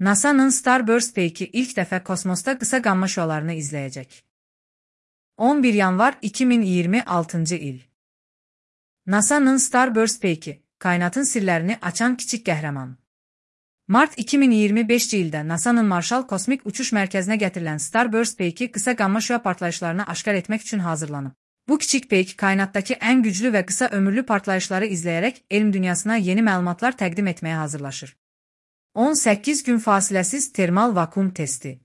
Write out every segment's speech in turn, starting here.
NASA'nın Starburst peyki ilk dəfə kosmosda qısa qamma şüalarını izləyəcək. 11 yanvar 2026 il. NASA'nın Starburst peyki, kainatın sirlərini açan kiçik qəhrəman. Mart 2025 ildə NASA'nın Marshall Kosmik Uçuş Mərkəzinə gətirilən Starburst peyki qısa qamma şüa partlayışlarını aşkar etmək üçün hazırlanıb. Bu kiçik peyk kainatdakı ən güclü və qısa ömürlü partlayışları izləyərək elm dünyasına yeni məlumatlar təqdim etməyə hazırlaşır. 18 gün fasiləsiz termal vakuum testi.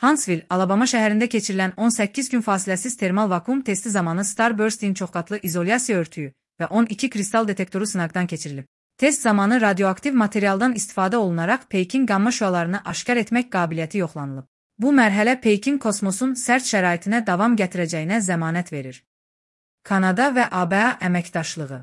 Huntsville, Alabama şəhərində keçirilən 18 gün fasiləsiz termal vakuum testi zamanı Starburst'in çoxqatlı izolyasiya örtüyü və 12 kristal detektoru sınaqdan keçirilib. Test zamanı radioaktiv materialdan istifadə olunaraq peykin qamma şüalarını aşkar etmək qabiliyyəti yoxlanılıb. Bu mərhələ peykin kosmosun sərt şəraitinə davam gətirəcəyinə zəmanət verir. Kanada və ABA əməkdaşlığı.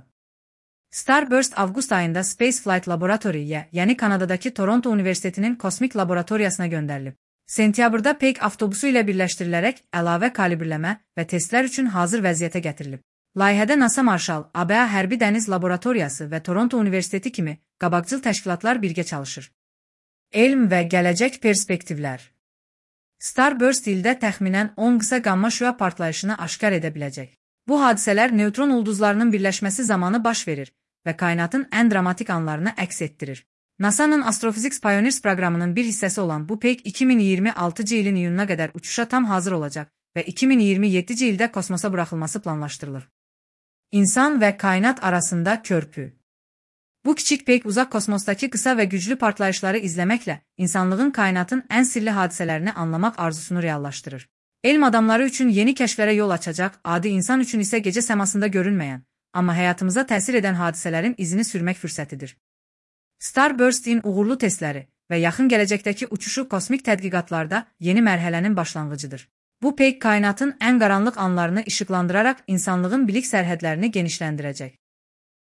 Starburst avqust ayında Spaceflight Laboratory-yə, yəni Kanadadakı Toronto Universitetinin kosmik laboratoriyasına göndərilib. Sentyabrda peyk avtobusu ilə birləşdirilərək əlavə kalibrləmə və testlər üçün hazır vəziyyətə gətirilib. Layihədə NASA Marshall, ABA Hərbi Dəniz Laboratoriyası və Toronto Universiteti kimi qabaqcıl təşkilatlar birgə çalışır. Elm və gələcək perspektivlər. Starburst ildə təxminən 10 qısa qamma şüa partlayışını aşkar edə biləcək. Bu hadisələr neytron ulduzlarının birləşməsi zamanı baş verir və kainatın ən dramatik anlarını əks etdirir. NASA'nın Astrophysics Pioneers proqramının bir hissəsi olan bu peyk 2026 ilin iyununa qədər uçuşa tam hazır olacaq və 2027 ildə kosmosa buraxılması planlaşdırılır. İnsan və kainat arasında körpü. Bu kiçik peyk uzaq kosmosdakı qısa və güclü partlayışları izləməklə insanlığın kainatın ən sirli hadisələrini anlamaq arzusunu reallaşdırır. Elm adamları üçün yeni kəşflərə yol açacaq, adi insan üçün isə gecə səmasında görünməyən, amma həyatımıza təsir edən hadisələrin izini sürmək fürsətidir. Starburst'in uğurlu testləri və yaxın gələcəkdəki uçuşu kosmik tədqiqatlarda yeni mərhələnin başlanğıcıdır. Bu peyk kainatın ən qaranlıq anlarını işıqlandıraraq insanlığın bilik sərhədlərini genişləndirəcək.